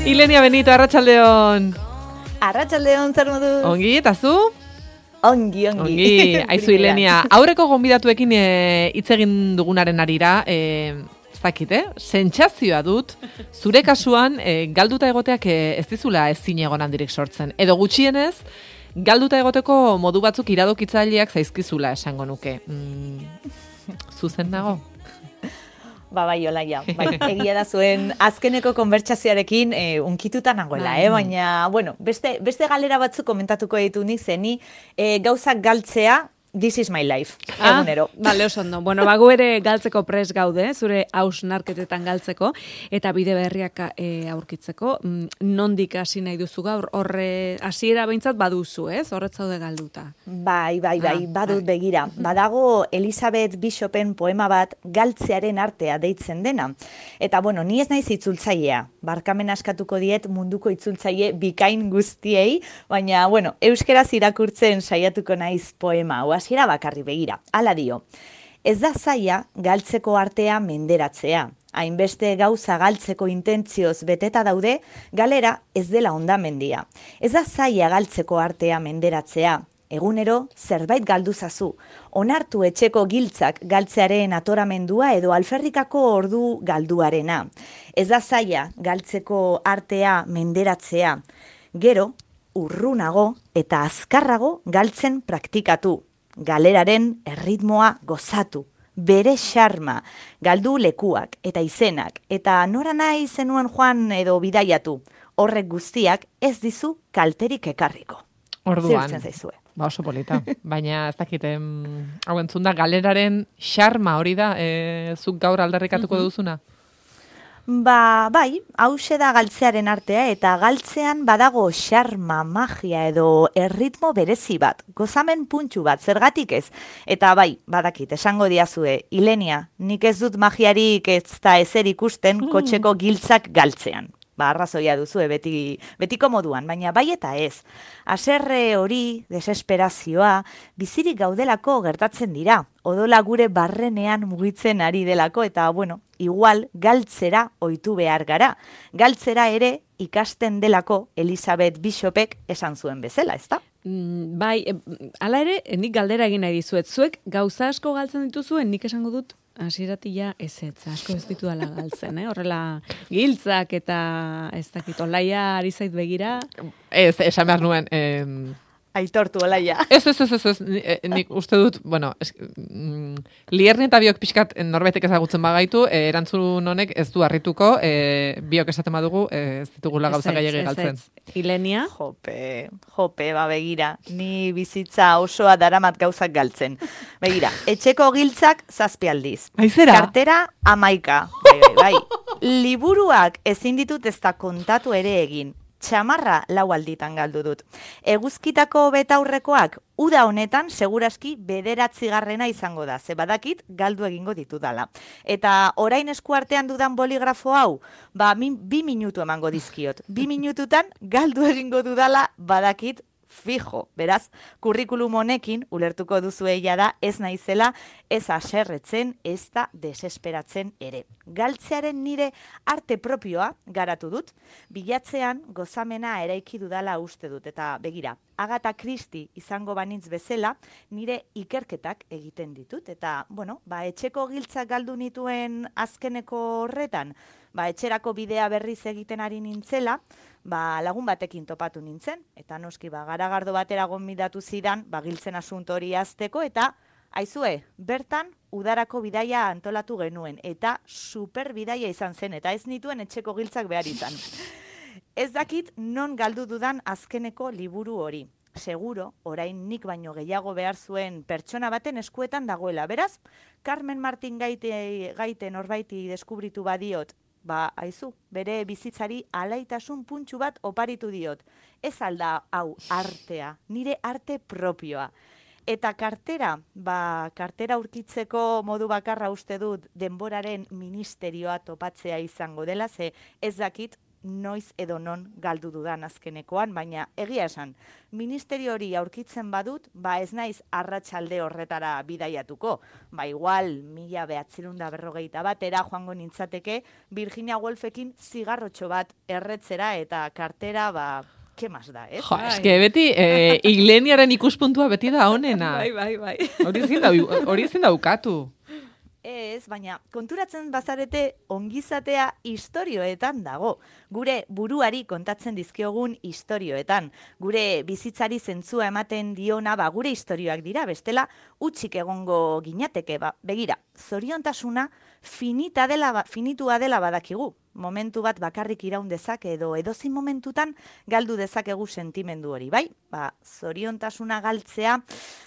Ilenia Benito, arratsaldeon. Arratsaldeon, zer moduz? Ongi, eta zu? Ongi. Aizu Ilenia, aurreko gonbidatuekin hitz egin dugunaren arira, zakit, sentsazioa dut, zure kasuan galduta egoteak ez dizula ezin egon handirik sortzen. Edo gutxienez, galduta egoteko modu batzuk iradokitzaileak zaizkizula esango nuke. Zuzen nago? Bai, Olaia. Egia da zuen azkeneko konbertsazioarekin unkituta nagoela, baina, bueno, beste galera batzuk komentatuko ditu nik zeni, gauzak galtzea, this is my life, egunero. Bale, oso ondo. Bueno, gu ere galtzeko pres gaude, zure hausnarketetan galtzeko, eta bide berriak aurkitzeko. Nondik hasi nahi duzu gaur, horre hasiera behintzat baduzu, ez? Horret zaude galduta. Bai, badut begira. Badago Elizabeth Bishopen poema bat galtzearen artea deitzen dena. Eta, bueno, ni ez naiz itzultzailea. Barkamen askatuko diet munduko itzultzaile bikain guztiei, baina, bueno, euskeraz irakurtzen saiatuko naiz poema, hasiera bakarri begira. Hala dio, ez da zaila galtzeko artea menderatzea. Hainbeste gauza galtzeko intentzioz beteta daude, galera ez dela hondamendia. Ez da zaila galtzeko artea menderatzea. Egunero zerbait galduzazu. Onartu etxeko giltzak galtzearen atoramendua edo alferrikako ordu galduarena. Ez da zaila galtzeko artea menderatzea. Gero, urrunago eta azkarrago galtzen praktikatu. Galeraren erritmoa gozatu, bere xarma, galdu lekuak eta izenak, eta nora nahi zenuen joan edo bidaiatu, horrek guztiak ez dizu kalterik ekarriko. Orduan, zirtzen zaizue. Ba oso polita, baina ez dakit, hau entzunda, galeraren xarma hori da, zuk gaur aldarrikatuko duzuna? Bai, hause da galtzearen artea eta galtzean badago xarma, magia edo erritmo berezi bat, gozamen puntxu bat, zergatik ez. Eta bai, badakit, esango diazue, Ilenia, nik ez dut magiarik ez da ezer ikusten kotxeko giltzak galtzean. Arrazoia duzue betiko moduan, baina bai eta ez. Haserre hori, desesperazioa, bizirik gaudelako gertatzen dira. Odola gure barrenean mugitzen ari delako eta, bueno, igual galtzera ohitu behar gara. Galtzera ere ikasten delako Elizabeth Bishopek esan zuen bezala, ezta? Bai, hala ere, nik galdera egin nahi dizuet. Zuek gauza asko galtzen dituzuen, nik esango dut, hasieratik ezetz, asko ez ditu dala galtzen, horrela giltzak eta ez dakit, Olaia ari zait begira. Ez, esan behar nuen, Aitortu, Olaia. Ez, nik uste dut, bueno, Lierni eta biok pixkat norbaitek ezagutzen bagaitu, erantzun honek ez du harrituko, biok esaten badugu, ez ditugula gauza gehiagi galtzen. Ilenia? Jope, begira, ni bizitza osoa daramat gauzak galtzen. Begira, etxeko giltzak 7 aldiz. Aizera? Kartera 11. Bai. Liburuak ezin ditut ez da kontatu ere egin. Txamarra 4 alditan galdu dut. Eguzkitako betaurrekoak uda honetan seguraski 9. izango da. Ze badakit galdu egingo ditudala. Eta orain eskuartean dudan boligrafo hau, 2 minutu emango dizkiot. 2 minututan galdu egingo dudala badakit fijo. Beraz, kurrikulum honekin ulertuko duzu egia da ez naizela ez haserretzen, ez da desesperatzen ere. Galtzearen nire arte propioa garatu dut, bilatzean gozamena eraiki dudala uste dut. Eta begira, Agatha Christie izango banitz bezala, nire ikerketak egiten ditut. Eta, bueno, etxeko giltzak galdu nituen azkeneko horretan, etxerako bidea berriz egiten ari nintzela, lagun batekin topatu nintzen, eta noski garagardo batera gonbidatu zidan, giltzen asunto hori azteko, eta aizue, bertan udarako bidaia antolatu genuen, eta super bidaia izan zen, eta ez nituen etxeko giltzak behar izan. Ez dakit non galdu dudan azkeneko liburu hori. Seguro, orain nik baino gehiago behar zuen pertsona baten eskuetan dagoela. Beraz, Carmen Martin gaite norbaiti deskubritu badiot, aizu, bere bizitzari alaitasun puntxu bat oparitu diot. Ez alda hau artea, nire arte propioa. Eta kartera, kartera urkitzeko modu bakarra uste dut denboraren ministerioa topatzea izango dela, ze ez dakit noiz edo non galdu dudan azkenekoan, baina egia esan, ministerio hori aurkitzen badut, ez naiz arratsalde horretara bidaiatuko. Igual, 1941 joango nintzateke, Virginia Woolfekin zigarrotxo bat erretzera eta kartera, ¿qué más da, ez? Jo, eske beti, Igleniaren ikuspuntua beti da honena. Bai. Hori ezin daukatu. Ez, baina konturatzen bazarete ongizatea istorioetan dago. Gure buruari kontatzen dizkiogun istorioetan. Gure bizitzari zentzua ematen diona, gure istorioak dira, bestela utzik egongo ginateke, begira, zoriontasuna finitua dela badakigu. Momentu bat bakarrik iraun dezake edo edozin momentutan galdu dezakegu sentimendu hori, bai? Zoriontasuna galtzea,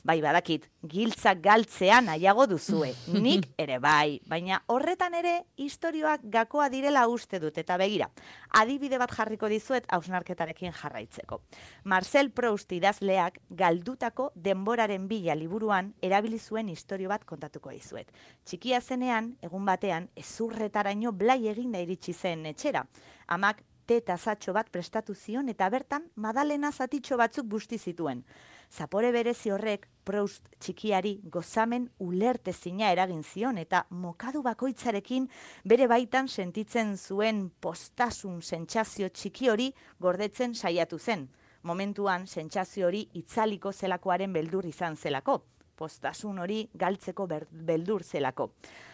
badakit, giltzak galtzea nahiago duzue, nik ere bai, baina horretan ere istorioak gakoa direla uste dut, eta begira, adibide bat jarriko dizuet hausnarketarekin jarraitzeko. Marcel Proust idazleak galdutako denboraren bila liburuan erabili zuen istorio bat kontatuko dizuet. Txikia zenean, egun batean, ezurretaraino blai eginda iritsi zen etxera. Amak tasatxo bat prestatu zion eta bertan Madalena zatitxo batzuk busti zituen. Zapore berezi horrek Proust txikiari gozamen ulertezina eragin zion eta mokadu bakoitzarekin bere baitan sentitzen zuen postasun sentsazio txiki hori gordetzen saiatu zen. Momentuan sentsazio hori itzaliko zelakoaren beldur izan zelako. Postasun hori galtzeko beldur zelako.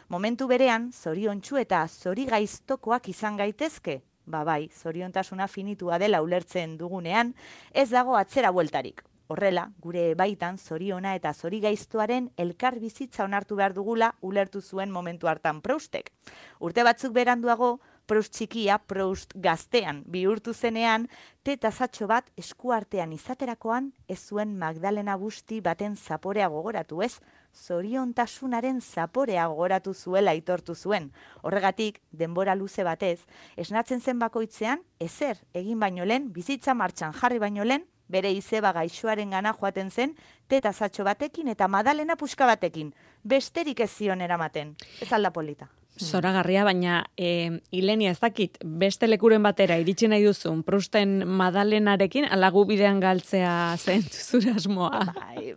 Momentu berean, zoriontsu eta zorigaiztokoak izan gaitezke. Bai, zoriontasuna finitua dela ulertzen dugunean, ez dago atzera bueltarik. Horrela, gure baitan zoriona eta zorigaiztoaren elkar bizitza onartu behar dugula ulertu zuen momentu hartan Proustek. Urte batzuk beranduago, Proust txikia, Proust gaztean bihurtu zenean, tasatxo bat eskuartean izaterakoan ez zuen Magdalena Busti baten zaporea gogoratu, ez? Zoriontasunaren zaporea gogoratu zuela aitortu zuen. Horregatik, denbora luze batez, esnatzen zen bakoitzean, ezer egin baino lehen, bizitza martxan jarri baino lehen, bere izeba gaixoaren gana joaten zen, tasatxo batekin eta Madalena puska batekin. Besterik ez zion eramaten. Ez alda polita. Zoragarria, baina Ilenia ez dakit, beste lekuren batera iritsi nahi duzun, Prousten Madalenarekin, alagu bidean galtzea zen zure asmoa.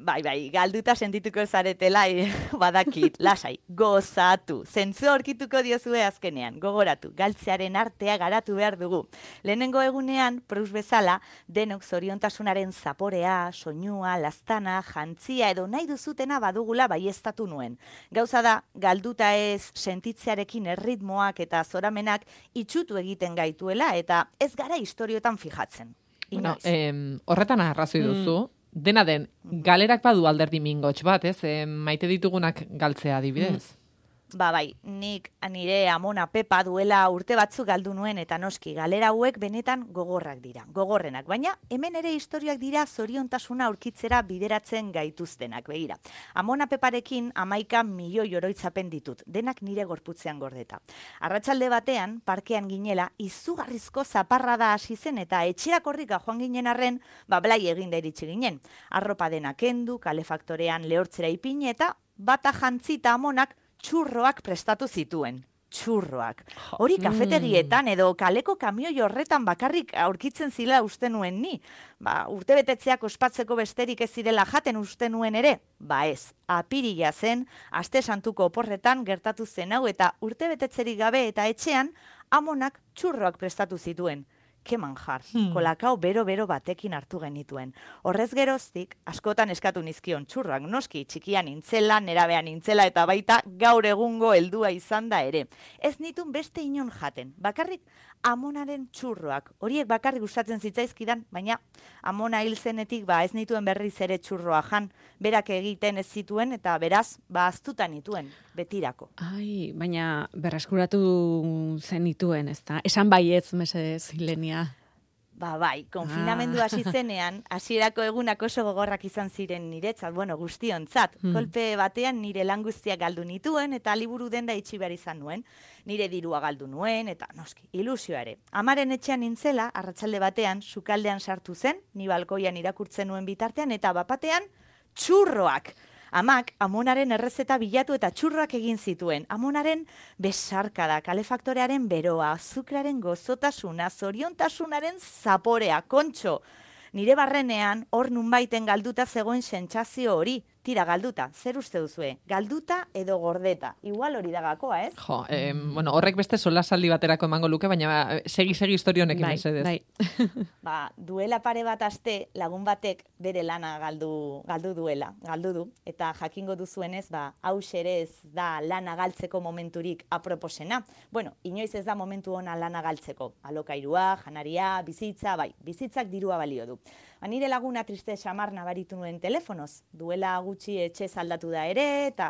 Bai, galduta sentituko zaretela, badakit, lasai, gozatu, zentzu aurkituko diozue azkenean, gogoratu, galtzearen artea garatu behar dugu. Lehenengo egunean, Proust bezala, denok zoriontasunaren zaporea, soinua, lastana, jantzia edo nahi duzutena badugula baieztatu nuen. Gauza da, galduta ez sentitzearekin erritmoak eta zoramenak itxutu egiten gaituela eta ez gara istorioetan fijatzen. Bueno, horretan arrazoi duzu, dena den, galerak badu alderdi mingotx bat, ez? Maite ditugunak galtzea adibidez. Bai, nik nire amona Pepa duela urte batzuk galdu nuen eta noski galera hauek benetan gogorrak dira, gogorrenak, baina hemen ere istorioak dira zoriontasuna aurkitzera bideratzen gaituztenak, begira. Amona Peparekin 11 milioi oroitzapen ditut, denak nire gorputzean gordeta. Arratsalde batean, parkean ginela, izugarrizko zaparrada hasi zen eta etxera korrika joan ginen arren, blai eginda iritsi ginen. Arropa dena kendu, kalefaktorean lehortzera ipini eta bata jantzita amonak txurroak prestatu zituen. Txurroak. Hori kafetegietan edo kaleko kamioi horretan bakarrik aurkitzen zila uste nuen ni. Urtebetetzeak ospatzeko besterik ez zirela jaten uste nuen ere. Ez, apirila zen, aste santuko oporretan gertatu zen hau eta urtebetetzerik gabe eta etxean amonak txurroak prestatu zituen. Ke manjar, kolakao bero-bero batekin hartu genituen. Horrez geroztik, askotan eskatu nizkion txurroak, noski txikian nintzela, nerabean nintzela eta baita gaur egungo heldua izan da ere. Ez nitun beste inon jaten, bakarrik amonaren txurroak. Horiek bakarrik gustatzen zitzaizkidan, baina amona hil zenetik ez nituen berriz ere txurroa jan, berak egiten ez zituen eta beraz, aztuta nituen, betirako. Baina berreskuratu zenituen, ezta? Esan baietz, mesedez, Ilenia. Bai, konfinamendu hasi zenean, hasierako egunak oso gogorrak izan ziren niretzat, guztiontzat. Kolpe batean nire lan guztiak galdu nituen eta liburu denda itxi behar izan nuen. Nire dirua galdu nuen eta noski, ilusioa ere. Amaren etxean nintzela, arratsalde batean, sukaldean sartu zen, ni balkoian irakurtzen nuen bitartean eta bapatean, txurroak. Amak amonaren errezeta bilatu eta txurroak egin zituen. Amonaren besarkada, kalefaktorearen beroa, azukraren gozotasuna, zoriontasunaren zaporea, kontxo. Nire barrenean, hor nunbaiten galduta zegoen sentsazio hori. Tira, galduta, zer uste duzue? Galduta edo gordeta? Igual hori da gakoa, ez? Jo, bueno, horrek beste solasaldi baterako emango luke, baina segi historionekin mesedez. Bai. Duela pare bat aste lagun batek bere lana galdu du. Eta jakingo duzuenez, hau ere ez da lana galtzeko momenturik aproposena. Bueno, inoiz ez da momentu ona lana galtzeko. Alokairua, janaria, bizitza, bizitzak dirua balio du. Nire laguna triste xamar nabaritu nuen telefonoz. Duela gutxi etxe aldatu da ere, eta,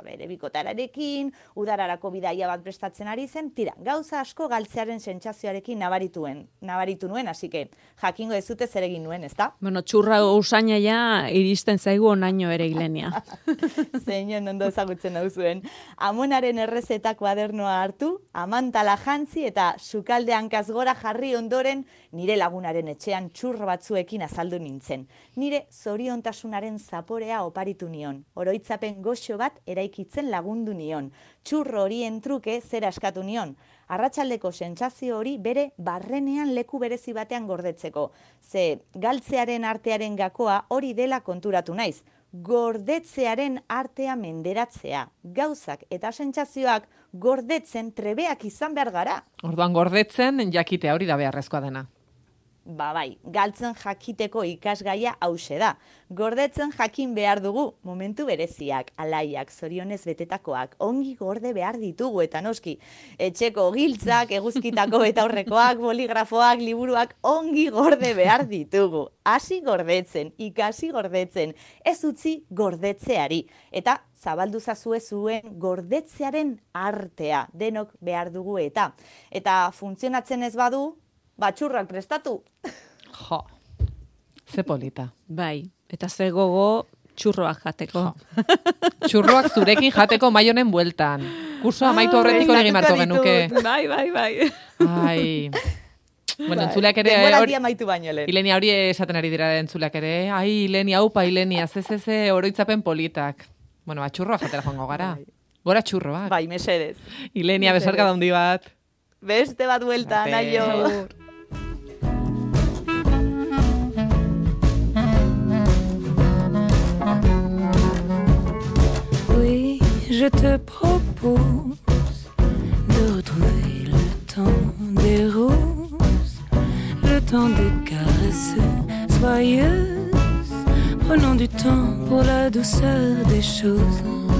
bere bikotararekin, udararako bidaia bat prestatzen ari zen, tira, gauza asko galtzearen sentsazioarekin nabaritu nuen, hasi que jakingo ez zute zer egin nuen, ezta? Bueno, txurra usaina ja iristen zaigu onaino ere Ilenia. Zeinon ondo ezagutzen hau zuen. Amonaren errezetak kuadernoa hartu, amantala jantzi eta sukalde hankaz gora jarri ondoren nire lagunaren etxean txurro batzuekin azaldu nintzen. Nire zoriontasunaren zaporea oparitu nion. Oroitzapen goxo bat eraikitzen lagundu nion. Txurro horien truke zera eskatu nion. Arratsaldeko sentsazio hori bere barrenean leku berezi batean gordetzeko. Ze galtzearen artearen gakoa hori dela konturatu naiz. Gordetzearen artea menderatzea. Gauzak eta sentsazioak gordetzen trebeak izan behar gara. Orduan gordetzen jakitea hori da beharrezkoa dena. Galtzen jakiteko ikasgaia hause da. Gordetzen jakin behar dugu, momentu bereziak, alaiak, zorionez betetakoak, ongi gorde behar ditugu eta noski. Etxeko giltzak, eguzkitako eta aurrekoak, boligrafoak, liburuak, ongi gorde behar ditugu. Hasi gordetzen, ikasi gordetzen, ez utzi gordetzeari. Eta zabaldu zazue zuen gordetzearen artea, denok behar dugu eta. Eta funtzionatzen ez badu, txurrak prestatu. Jo, ze polita. Bai, eta ze gogo txurroak jateko. Txurroak zurekin jateko maionen bueltan. Kurso amaitu aurretiko egin marko genuke. Bai. Ai. Bueno, entzuleak ere... Denboraldia amaitu baino lehen. Ilenia hori esaten ari dira entzuleak ere. Ai, Ilenia, aupa, Ilenia, ze oroitzapen politak. Bueno, txurroak jatera joango gara. Gora txurroak. Bai, mesedez. Ilenia, besarka daundi bat. Beste bat buelta, naio. Je te propose de retrouver le temps des roses, le temps des caresses joyeuses. Prenons du temps pour la douceur des choses.